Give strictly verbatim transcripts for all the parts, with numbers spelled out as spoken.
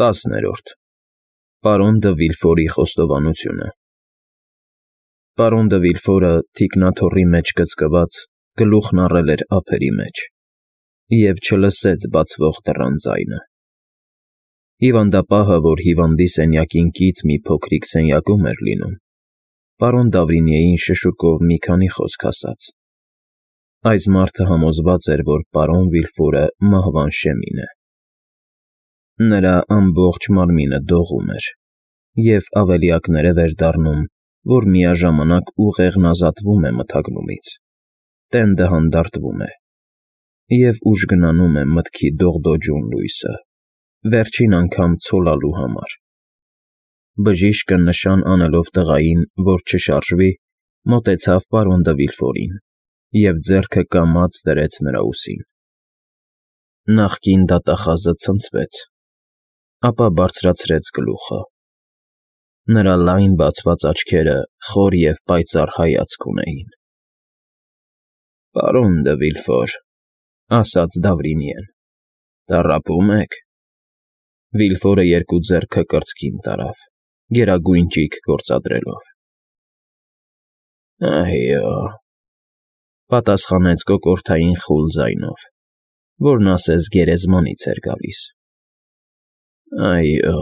Տասներորդ Պարոն դը Վիլֆորի խոստովանությունը Պարոն դը Վիլֆորը, թիկնաթոռի մեջ կծկված, գլուխն առել էր ափերի մեջ և չլսեց բացվող դռան ձայնը։ Հիվանդապահը, որ հիվանդի սենյակին կից մի փոքրիկ սենյակում էր լինում, պարոն Դավրինիեին շշուկով մի քանի խոսք ասաց։ Այս մարդը համոզված էր, որ պարոն Վիլֆորը մահվան շեմին է։ Նրա ամբողջ մարմինը դողում էր, և ավելիակներև էր դառնում, որ միաժամանակ ուղեղն ազատվում է մթագնումից, տենդը հանդարտվում է, և ուժգնանում է մտքի դողդոջուն լույսը, վերջին անգամ ցոլալու համար։ Բժիշկը նշան անելով տղային, որ չշարժվի, մոտեցավ պարոն դը Վիլֆորին և ձեռքը կամաց դրեց նրա ուսին։ Նախկին դատախազը ցնցվեց, ապա բարձրացրեց գլուխը։ Նրա լայն բացված աչքերը խոր և պայծառ հայացք ունեին։ ֊ Պարոն դը Վիլֆոր,֊ ասաց Դավրինիեն,֊ տառապո՞ւմ եք։ Վիլֆորը երկու ձեռքը կրծքին տարավ, գերագույն ճիգ գործադրելով։ ֊ Այո,֊ պատասխանեց կոկորդային խուլ ձայնով, որն ասես գերեզմանից էր գալիս։ ֊ Այո,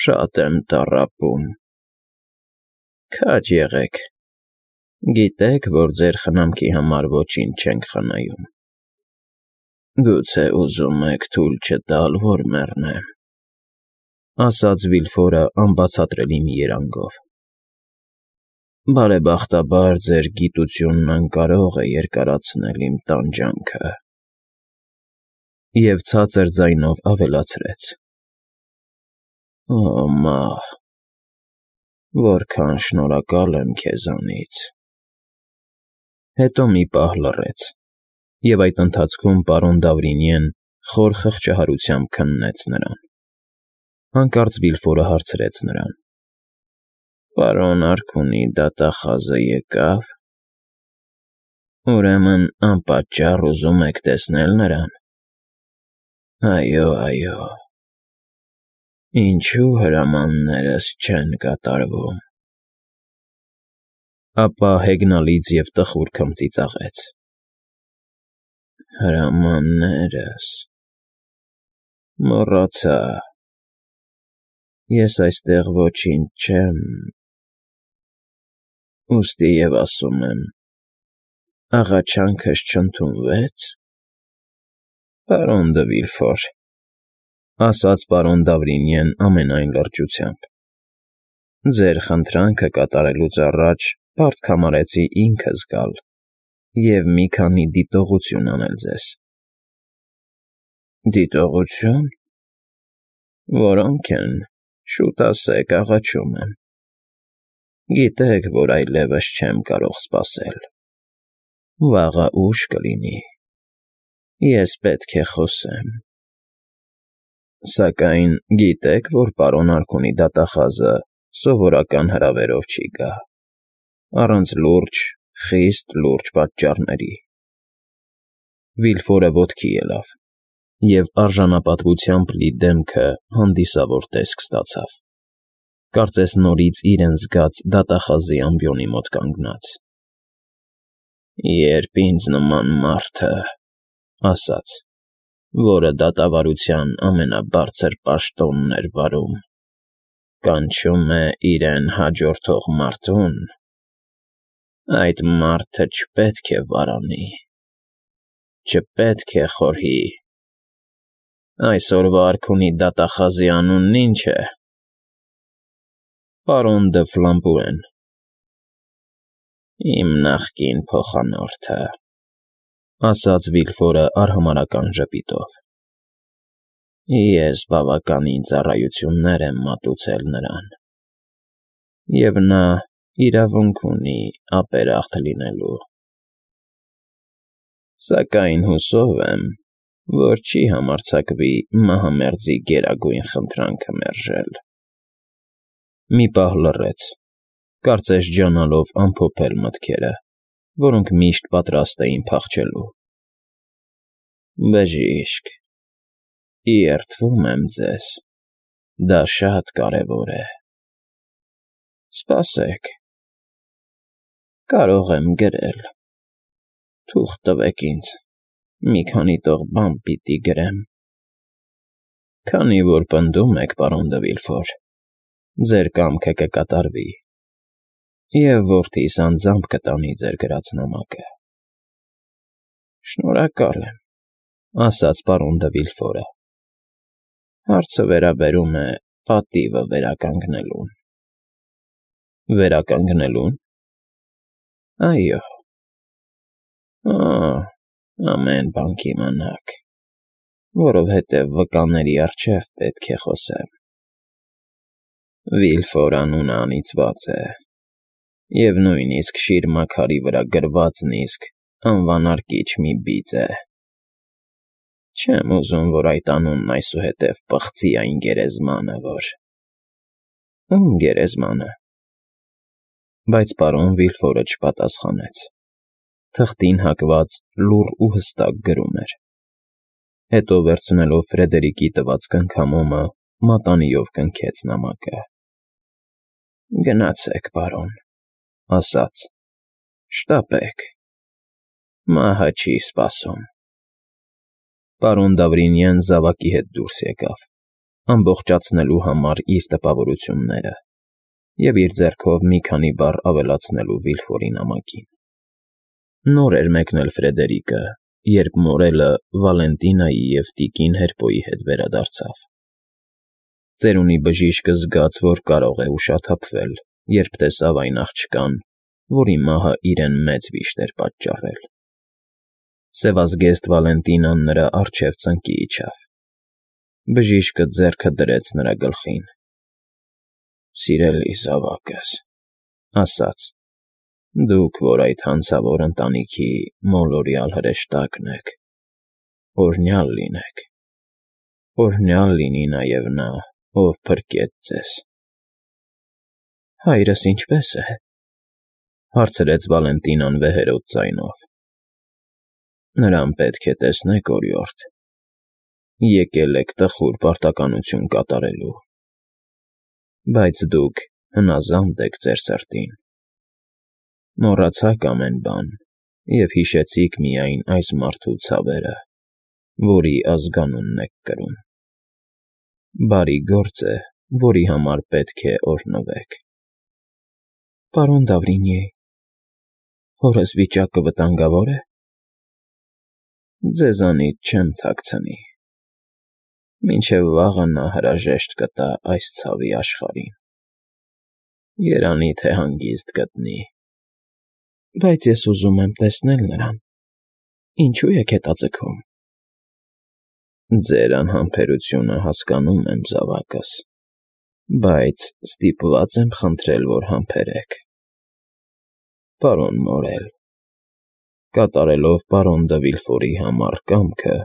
շատ եմ տառապում։ ֊ Քաջ եղեք, գիտեք, որ ձեր խնամքի համար ոչինչ չենք խնայում։ Գուցե ուզում եք թույլ չտալ, որ մեռնեմ,֊ ասաց Վիլֆորը անբացատրելի մի երանգով։ Բարեբախտաբար ձեր գիտությունն անկարող է երկարացնել իմ տանջանքը։ Եվ ցածր ձայնով ավելացրեց. Օ մահ, որքան շնորհակալ եմ քեզանից։ Հետո մի պահ լռեց, և այդ ընթացքում պարոն Դավրինիեն խոր խղճահարությամբ քննեց նրան։ Հանկարծ Վիլֆորը հարցրեց նրան. Պարոն Արքունի դատախազը եկա՞վ։ Ուրեմն անպատճառ ուզում եք տեսնել նրան։ Այո, այո։ Ինչու հրամաններս չեն կատարվում։ Ապա հեգնալից և տխուր քմծիծաղեց. Հրամաններս… մոռացա… Ես այստեղ ոչինչ չեմ… Ուստի և ասում եմ, աղաչանքս չընդունվե՞ց։ Պարոն դը Վիլֆոր,֊ ասաց պարոն Դավրինիեն ամենայն լրջությամբ,֊ ձեր խնդրանքը կատարելուց առաջ պարտք համարեցի ինքս գալ և մի քանի դիտողություն անել ձեզ։ ֊ Դիտողությո՞ւն։ Որո՞նք են, շուտ ասեք, աղաչում եմ։ Գիտեք, որ այլևս չեմ կարող սպասել։ Վաղը ուշ կլինի։ Ես պետք է խոսեմ։ Սակայն գիտեք, որ պարոն Արքունի դատախազը սովորական հրավերով չի գա, առանց լուրջ, խիստ լուրջ պատճառների։ Վիլֆորը ոտքի ելավ, և արժանապատվությամբ լի դեմքը հանդիսավոր տեսք ստացավ, կարծես նորից իրեն զգաց դատախազի ամբիոնի մոտ կանգնած։ Երբ ինձ նման մարդը, ասաց, որը դատավարության ամենաբարձր պաշտոնն էր վարում, կանչում է իրեն հաջորդող մարդուն, այդ մարդը չպետք է վարանի, չպետք է խորհի։ Այսօրվա Արքունի դատախազի անունն ի՞նչ է։ Պարոն դը Ֆլամպուեն։ Իմ նախկին փոխանորդը,֊ ասաց Վիլֆորը արհամարհական ժպիտով։ Ես բավականին ծառայություններ եմ մատուցել նրան, և նա իրավունք ունի ապերախտ լինելու։ Սակայն հուսով եմ, որ չի համարձակվի մահամերձի գերագույն խնդրանքը մերժել։ Մի պահ լռեց, կարծես ջանալով ամփոփել մտքերը, որոնք միշտ պատրաստ էին փախչելու։ Բժիշկ, երդվում եմ ձեզ, Դա շատ կարևոր է։ Սպասեք, կարող եմ գրել։ Թուղթ տվեք ինձ, մի քանի տող բան պիտի գրեմ։ Քանի որ պնդում եք, պարոն դը Վիլֆոր, ձեր կամքը կկատարվի, և որդիս անձամբ կտանի ձեր գրած նամակը։ Շնորհակալ եմ, ասաց պարոն դը Վիլֆորը։ Հարցը վերաբերում է պատիվը վերականգնելուն։ Վերականգնելո՞ւն։ Այո։ Ա, ամեն բան կիմանաք, որովհետև վկաների առջև պետք է խոսեմ։ Վիլֆոր անունը անիծված է, և նույնիսկ շիրմաքարի վրա գրվածն իսկ անվանարկիչ մի բիծ է։ Չեմ ուզում, որ այդ անունն այսուհետև պղծի այն գերեզմանը, որ… Ում գերեզմանը։ Բայց պարոն Վիլֆորը չպատասխանեց։ Թղթին հակված լուռ ու հստակ գրում էր։ Հետո վերցնելով Ֆրեդերիկի տված կնքամոմը, մատանիով կնքեց նամակը։ Գնացեք, պարոն, ասաց, շտապեք, մահը չի սպասում։ Պարոն Դավրինյան զավակի հետ դուրս եկավ, ամբողջացնելու համար իր տպավորությունները և իր ձեռքով մի քանի բառ ավելացնելու Վիլֆորի նամակին։ Նոր էր մեկնել Ֆրեդերիկը, երբ մորելը Վալենտինայի և տիկին Հերպոյի հետ վերադարձավ։ Ծերունի բժիշկը զգաց, որ կարող է ուշաթափվել, երբ տեսավ այն աղջկան, որի մահը իրեն մեծ վիշտ էր պատճառել։ Սևազգեստ Վալենտինան նրա առջև ծնկի իջավ։ Բժիշկը ձեռքը դրեց նրա գլխին։ Սիրելի զավակս, ասաց, դուք, որ այդ հանցավոր ընտանիքի մոլորյալ հրեշտակն եք, օրհնյալ լինեք, օրհնյալ լինի նաև նա, ով փրկեց ձեզ։ Հայրս ինչպե՞ս է, հարցրեց Վալենտինան վեհերոտ ձայնով։ Նրան պետք է տեսնեք, օրիորդ, եկել եք տխուր պարտականություն կատարելու, բայց դուք հնազանդ եք ձեր սրտին։ Մոռացաք ամեն բան և հիշեցիք միայն այս մարդու ցավերը, որի ազգանունն եք կրում։ Բարի գործ է, որի համար պետք է օրհնվեք։ Պարոն Դավրինյե, հորս վիճակը վտանգավոր է։ Ձեզանից չեմ թաքցնի։ Մինչև վաղը նա հրաժեշտ կտա այս ցավի աշխարհին։ Երանի թե հանգիստ գտնի։ Բայց ես ուզում եմ տեսնել նրան։ Ինչու եք հետաձգում։ Ձեր անհամբերությունը հասկանում եմ, զավակս, բայց ստիպված եմ խնդրել, որ համբերեք։ Պարոն Մորել, կատարելով պարոն դը Վիլֆորի համար կամքը,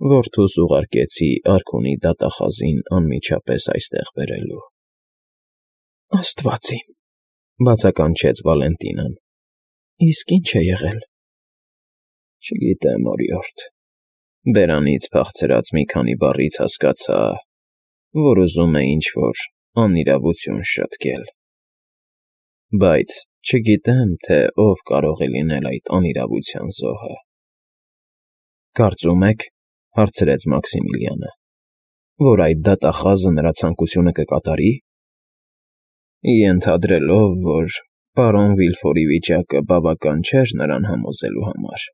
որդուս ուղարկեցի արքունի դատախազին անմիջապես այստեղ բերելու։ Աստված իմ, բացականչեց Վալենտինան, իսկ ինչ է եղել։ Չգիտեմ, օրիորդ, բերանից փախցրած մի քանի բառից հասկացա, որ ուզում է ինչ-որ անիրավություն շտկել։ Բայց չգիտեմ, թե ով կարող է լինել այդ անիրավության զոհը։ Կարծում եք, հարցրեց Մաքսիմիլիանը, որ այդ դատախազը նրա ցանկությունը կկատարի։ Ենթադրելով, որ պարոն Վիլֆորի վիճակը բավական չէր նրան համոզելու համար,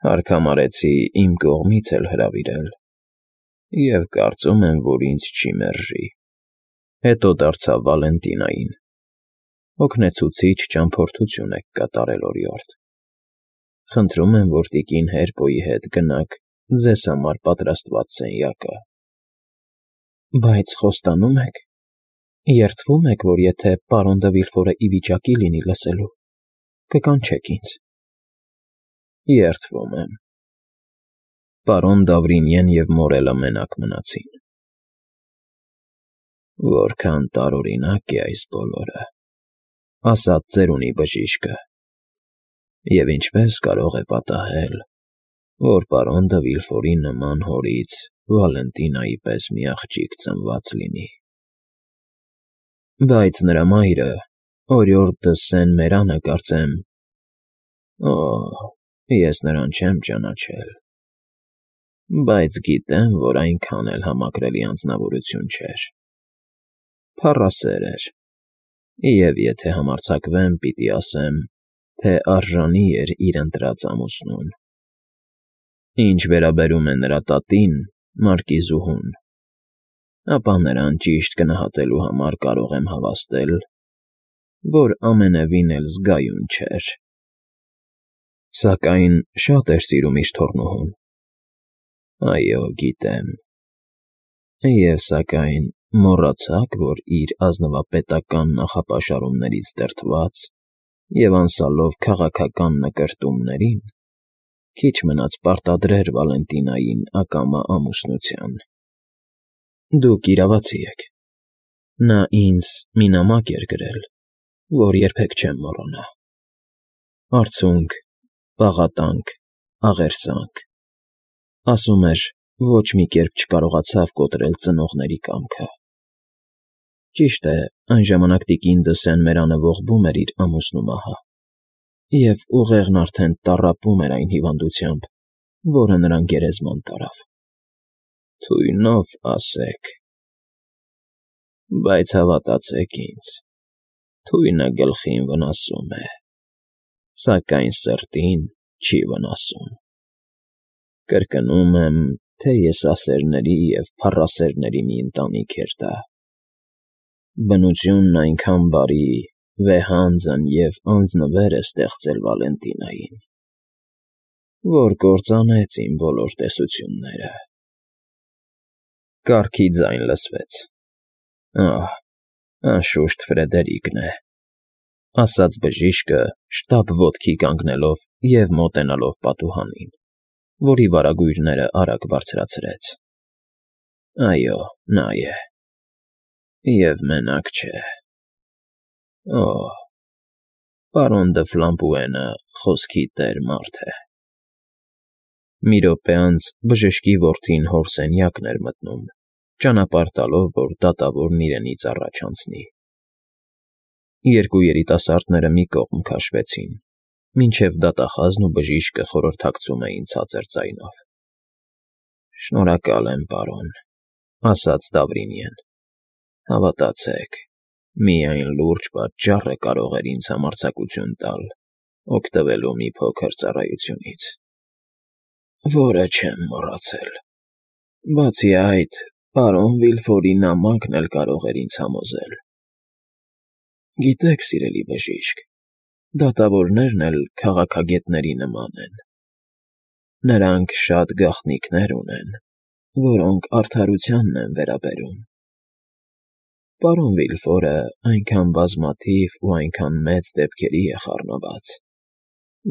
հարկ համարեցի իմ կողմից էլ հրավիրել, և կարծում եմ, որ ինձ չի մերժի։ Հետո դարձավ Վալենտինային. Հոգնեցուցիչ ճամփորդություն եք կատարել, օրիորդ։ Խնդրում եմ, որ տիկին Հերպոյի հետ գնաք ձեզ համար պատրաստված սենյակը։ Բայց խոստանում եք, երդվում եք, որ եթե պարոն դը Վիլֆորը ի վիճակի լինի լսելու, կկանչեք ինձ։ Երդվում եմ։ Պարոն Դավրինյեն և Մորելը մենակ մնացին։ Որքան տարօրինակ է այս բոլորը, ասաց ծերունի բժիշկը, և ինչպես կարող է պատահել, որ պարոն դը Վիլֆորի նման հորից Վալենտինայի պես մի աղջիկ ծնված լինի։ Բայց նրա մայրը, օրիորդ դը Սեն֊Մերանը, կարծեմ… Օ՜, ես նրան չեմ ճանաչել, բայց գիտեմ, որ այնքան էլ համակրելի անձնավորություն չէր, փառասեր էր, և եթե համարձակվեմ, պիտի ասեմ, թե արժանի էր իր ընտրած ամուսնուն։ Ինչ վերաբերում է նրա տատին, մարկիզուհուն, ապա նրան ճիշտ գնահատելու համար կարող եմ հավաստել, որ ամենևին էլ զգայուն չէր, սակայն շատ էր սիրում իր թոռնուհուն։ Այո, գիտեմ։ Եվ սակայն մոռացա՞ք, որ իր ազնվապետական նախապաշարումներից դրդված և անսալով քաղաքական նկրտումներին, քիչ մնաց պարտադրեր Վալենտինային ակամա ամուսնության։ Դուք իրավացի եք։ Նա ինձ մի նամակ էր գրել, որ երբեք չեմ մոռանա. «Արցունք, պաղատանք, աղերսանք», ասում էր, ոչ մի կերպ չկարողացավ կոտրել ծնողների կամքը։ Ճիշտ է, այն ժամանակ տիկին դը Սեն֊Մերանը ողբում էր իր ամուսնու մահը, և ուղեղն արդեն տառապում էր այն հիվանդությամբ, որը նրան գերեզման տարավ։ Թույնով ասեք… Բայց հավատացեք ինձ, թույնը գլխին վնասում է, սակայն սրտին չի վնասում։ Կրկնում եմ, թե եսասերների և փառասերների մի ընտանիք էր դա։ Բնությունն այնքան բարի, վեհանձն և անձնվեր է ստեղծել Վալենտինային, որ կործանեց իմ բոլոր տեսությունները»։ Կառքի ձայն լսվեց։ «Ահ, անշուշտ Ֆրեդերիկն է», ասաց բժիշկը, շտապ ոտքի կանգնելով և մոտենալով պատուհանին, որի վարագույրները արագ բարձրացրեց։ «Այո, նա է։ Եվ մենակ չէ։ Օ՜, պարոն դը Ֆլամպուենը խոսքի տեր մարդ է»։ Մի րոպե անց բժշկի որդին հոր սենյակն էր մտնում, ճանապարհ տալով, որ դատավորն իրենից առաջ անցնի։ Երկու երիտասարդները մի կողմ քաշվեցին, մինչև դատախազն ու բժիշկը խորհրդակցում էին ցածր ձայնով։ «Շնորհակալ եմ, պարոն», ասաց Դավրինյեն։ «Հավատացեք, միայն լուրջ պատճառը կարող էր ինձ համարձակություն տալ օգտվելու մի փոքր ծառայությունից, որը չեմ մոռացել։ Բացի այդ, պարոն Վիլֆորի նամակն էլ կարող էր ինձ համոզել։ Գիտեք, սիրելի բժիշկ, դատավորներն էլ քաղաքագետների նման են. նրանք շատ գաղտնիքներ ունեն, որոնք արդարությանն են վերաբերում։ Պարոն Վիլֆորը այնքան բազմաթիվ ու այնքան մեծ դեպքերի է խառնված,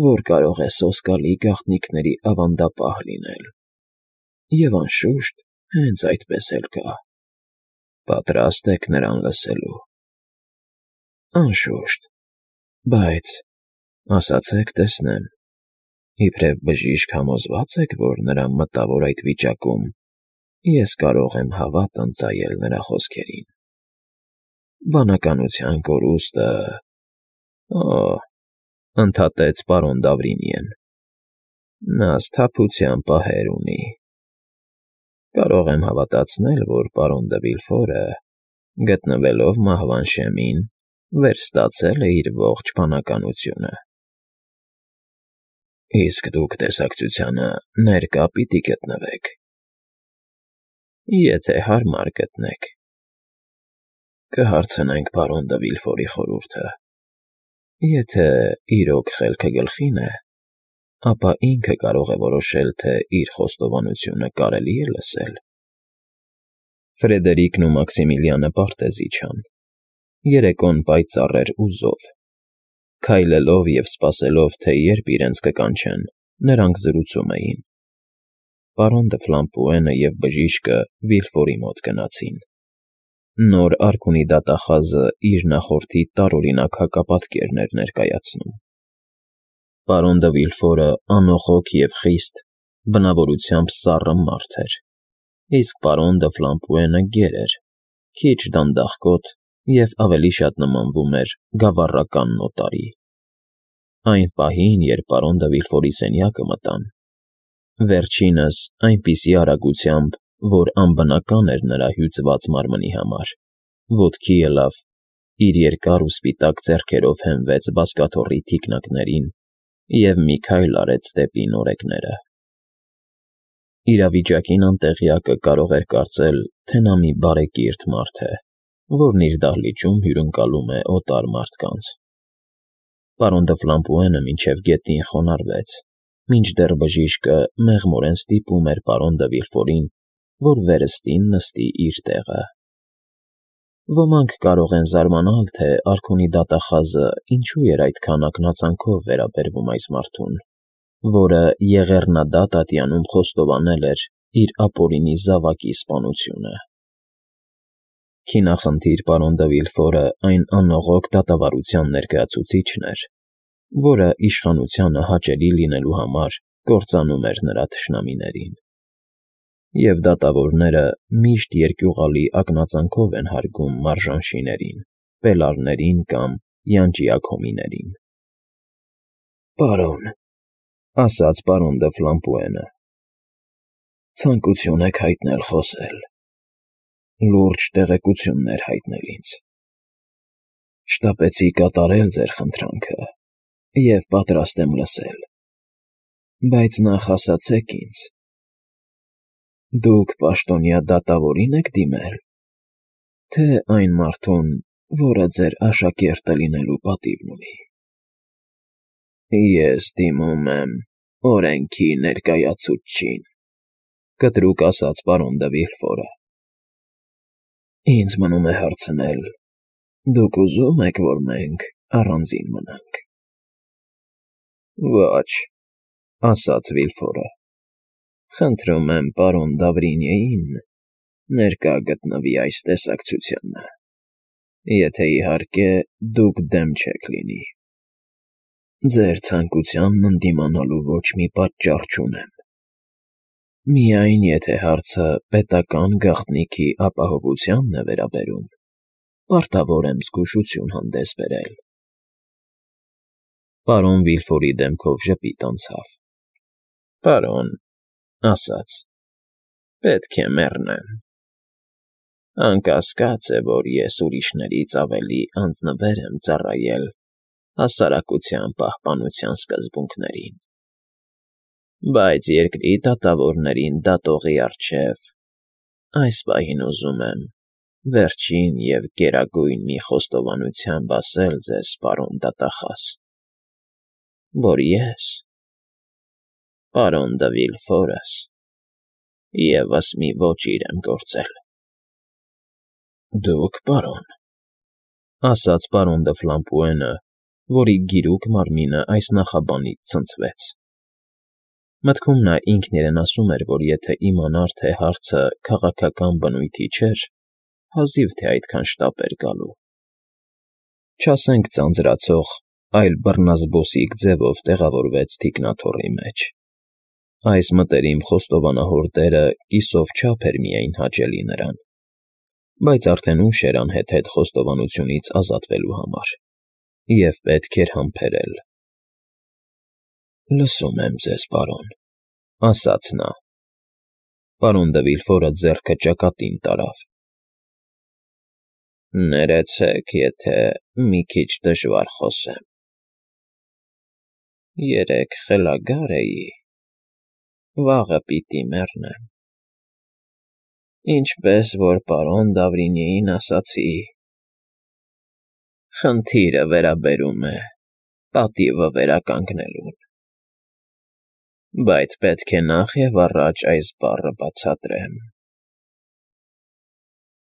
որ կարող է սոսկալի գաղտնիքների ավանդապահ լինել, և, անշուշտ, հենց այդպես էլ կա։ Պատրաստ եք նրան լսելու։ Անշուշտ, բայց… ասացեք տեսնեմ, իբրև բժիշկ համոզվա՞ծ եք, որ նրա մտավոր այդ վիճակում ես կարող եմ հավատ ընծայել նրա խոսքերին։ Բանականության կորուստը… Օ՜, ընդհատեց պարոն Դավրինյեն, նա սթափության պահեր ունի։ Կարող եմ հավատացնել, որ պարոն դը Վիլֆորը, գտնվելով մահվան շեմին, վերստացել է իր ողջ բանականությունը։ Իսկ դուք տեսակցությանը ներկա պիտի գտնվեք։ Եթե հարմար գտնեք։ Կհարցնենք պարոն դը Վիլֆորի խորհուրդը։ Եթե իրոք խելքը գլխին է, ապա ինքը կարող է որոշել, թե իր խոստովանությունը կարելի է լսել։ Ֆրեդերիկն ու Մաքսիմիլիանը պարտեզ իջան։ Երեկոն պայծառ էր ու զով։ Քայլելով և սպասելով, թե երբ իրենց կկանչեն, նրանք զրուցում էին։ Պարոն դը Ֆլամպուենը և բժիշկը Վիլֆորի մոտ գնացին։ Նոր արքունի դատախազը իր նախորդի տարօրինակ հակապատկերն էր ներկայացնում։ Պարոն դը Վիլֆորը անոխոք և խիստ, բնավորությամբ սառը մարդ էր, իսկ պարոն դը Ֆլամպուենը գեր էր, քիչ դանդաղկոտ և ավելի շատ նմանվում էր գավառական նոտարի։ Այն պահին, երբ պարոն դը Վիլֆորի սենյակը մտան, վերջինս այնպիսի արագությամբ, որ անբնական էր նրա հյուծված մարմնի համար, ոտքի ելավ, իր երկար ու սպիտակ ձեռքերով հենվեց բազկաթոռի թիկնիկներին և մի քայլ արեց դեպի նորեկները։ Իրավիճակին անտեղյակը կարող էր կարծել, թե նա մի բարեկիրթ մարդ է, որն իր դահլիճում հյուրընկալում է օտար մարդկանց։ Պարոն դը Ֆլամպուենը մինչև գետնին խոնարհվեց, մինչդեռ բժիշկը մեղմորեն ստիպում էր պարոն դը Վիլֆորին, որ վերստին նստի իր տեղը։ Ոմանք կարող են զարմանալ, թե արքունի դատախազը ինչու էր այդքան ակնածանքով վերաբերվում այս մարդուն, որը եղեռնադատ ատյանում խոստովանել էր իր ապօրինի զավակի սպանությունը։ Քինախնդիր պարոն դը Վիլֆորը այն անողոք դատավարության ներկայացուցիչն էր, որը իշխանությանը հաճելի լինելու համար կործանում էր նրա թշնամիներին։ Եվ դատավորները միշտ երկյուղալի ակնածանքով են հարգում մարժանշիներին, պելարներին կամ յանճիակոմիներին։ Պարոն, ասաց պարոն դը Ֆլամպուենը, ցանկություն եք հայտնել խոսել, լուրջ տեղեկություններ հայտնել ինձ։ Շտապեցի կատարել ձեր խնդրանքը և պատրաստ եմ լսել, բայց նախ ասացեք ինձ. դուք պաշտոնյա դատավորի՞ն եք դիմել, թե այն մարդուն, որը ձեր աշակերտը լինելու պատիվն ունի։ Ես դիմում եմ օրենքի ներկայացուցչին, կտրուկ ասաց պարոն դը Վիլֆորը։ Ինձ մնում է հարցնել. դուք ուզո՞ւմ եք, որ մենք առանձին մնանք։ Ոչ, ասաց Վիլֆորը, խնդրում եմ պարոն Դավրինյեին ներկա գտնվի այս տեսակցությանը, եթե իհարկե դուք դեմ չեք լինի։ Ձեր ցանկությանն ընդդիմանալու ոչ մի պատճառ չունեմ։ Միայն եթե հարցը պետական գաղտնիքի ապահովությանն է վերաբերում, պարտավոր եմ զգուշություն հանդես բերել։ Պարոն Վիլֆորի դեմքով ժպիտ անցավ։ Պարոն, ասաց, պետք է մեռնեմ։ Անկասկած է, որ ես ուրիշներից ավելի անձնվեր եմ ծառայել հասարակության պահպանության սկզբունքներին, բայց երկրի դատավորներին դատողի առջև այս պահին ուզում եմ վերջին և գերագույն մի խոստովանությամբ ասել ձեզ, պարոն դատախազ, որ ես, պարոն դը Վիլֆորս, ևս մի ոճիր եմ գործել։ Դուք, պարոն, ասաց պարոն դը Ֆլամպուենը, որի գիրուկ մարմինը այս նախաբանից ցնցվեց։ Մտքում նա ինքն իրեն ասում էր, որ եթե իմանար, թե հարցը քաղաքական բնույթի չէր, հազիվ թե այդքան շտապ էր գալու։ Չասենք ձանձրացող, այլ բռնազբոսիկ ձևով տեղավորվեց թիկնաթոռի մեջ։ Այս մտերիմ խոստովանահոր դերը կիսով չափ էր միայն հաճելի նրան, բայց արդեն ուշ էր անհեթեթ խոստովանությունից ազատվելու համար, և պետք էր համբերել։ Լսում եմ ձեզ, պարոն, ասաց նա։ Պարոն դը Վիլֆորը ձեռքը ճակատին տարավ։ Ներեցեք, եթե մի քիչ դժվար խոսեմ։ Երեկ խելագար էի, վաղը պիտի մեռնեմ։ Ինչպես որ պարոն Դավրինյեին ասացի, խնդիրը վերաբերում է պատիվը վերականգնելուն, բայց պետք է նախ և առաջ այս բառը բացատրեմ։